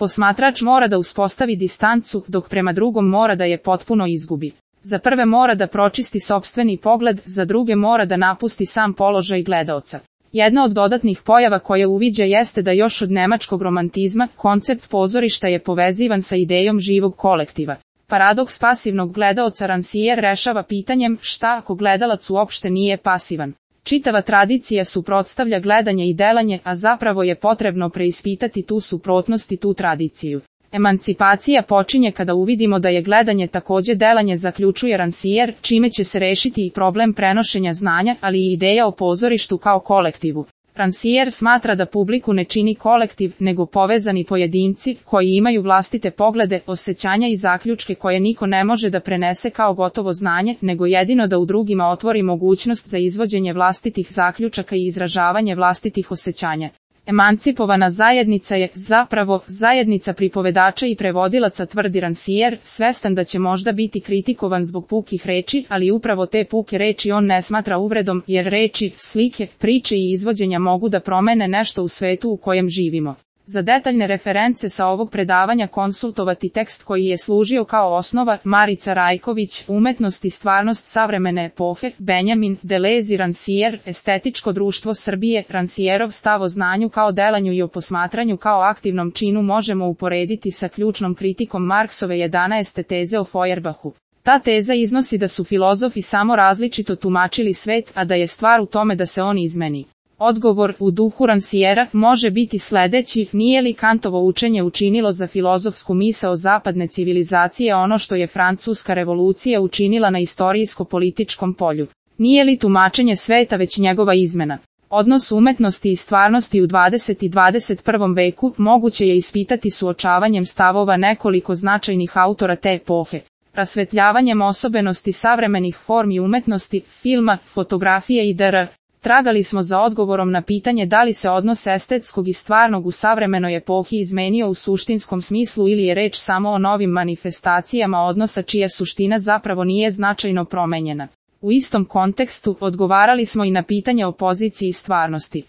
Posmatrač mora da uspostavi distancu, dok prema drugom mora da je potpuno izgubi. Za prve mora da pročisti sopstveni pogled, za druge mora da napusti sam položaj gledaoca. Jedna od dodatnih pojava koje uviđa jeste da još od nemačkog romantizma, koncept pozorišta je povezivan sa idejom živog kolektiva. Paradoks pasivnog gledaoca Rancière rešava pitanjem šta ako gledalac uopšte nije pasivan. Čitava tradicija suprotstavlja gledanje i delanje, a zapravo je potrebno preispitati tu suprotnost i tu tradiciju. Emancipacija počinje kada uvidimo da je gledanje takođe delanje, zaključuje Rancière, čime će se rešiti i problem prenošenja znanja, ali i ideja o pozorištu kao kolektivu. Rancière smatra da publiku ne čini kolektiv, nego povezani pojedinci, koji imaju vlastite poglede, osećanja i zaključke koje niko ne može da prenese kao gotovo znanje, nego jedino da u drugima otvori mogućnost za izvođenje vlastitih zaključaka i izražavanje vlastitih osećanja. Emancipovana zajednica je, zapravo, zajednica pripovedača i prevodilaca, tvrdi Rancière, svestan da će možda biti kritikovan zbog pukih reči, ali upravo te puke reči on ne smatra uvredom, jer reči, slike, priče i izvođenja mogu da promene nešto u svetu u kojem živimo. Za detaljne reference sa ovog predavanja konsultovati tekst koji je služio kao osnova, Marica Rajković, Umetnost i stvarnost savremene epohe, Benjamin Deleuze i Rancière, Estetičko društvo Srbije. Rancièrov stav o znanju kao delanju i o posmatranju kao aktivnom činu možemo uporediti sa ključnom kritikom Marksove 11. teze o Feuerbachu. Ta teza iznosi da su filozofi samo različito tumačili svet, a da je stvar u tome da se on izmeni. Odgovor, u duhu Rancièra, može biti sledeći: nije li Kantovo učenje učinilo za filozofsku misao zapadne civilizacije ono što je Francuska revolucija učinila na istorijsko-političkom polju? Nije li tumačenje sveta već njegova izmena? Odnos umetnosti i stvarnosti u 20. i 21. veku moguće je ispitati suočavanjem stavova nekoliko značajnih autora te epohe. Rasvetljavanjem osobenosti savremenih formi umetnosti, filma, fotografije i dr. Tragali smo za odgovorom na pitanje da li se odnos estetskog i stvarnog u savremenoj epohi izmenio u suštinskom smislu ili je reč samo o novim manifestacijama odnosa čija suština zapravo nije značajno promenjena. U istom kontekstu odgovarali smo i na pitanje o poziciji stvarnosti.